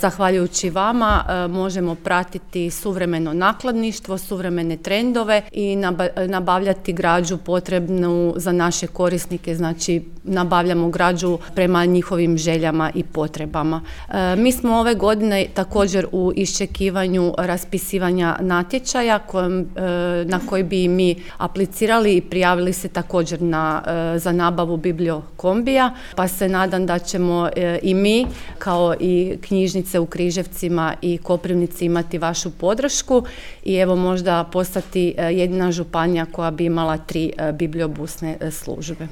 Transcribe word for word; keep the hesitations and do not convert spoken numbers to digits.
Zahvaljujući vama možemo pratiti suvremeno nakladništvo, suvremene trendove i nabavljati građu potrebnu za naše korisnike, znači nabavljamo građu prema njihovim željama i potrebama. Mi smo ove godine također u iščekivanju raspisivanja natječaja na koji bi mi aplicirali i prijavili se također na, za nabavu bibliokombija, pa se nadam da ćemo i mi kao i knjižnice u Križevcima i Koprivnici imati vašu podršku i evo možda postati jedina županija koja bi imala tri bibliobusne službe.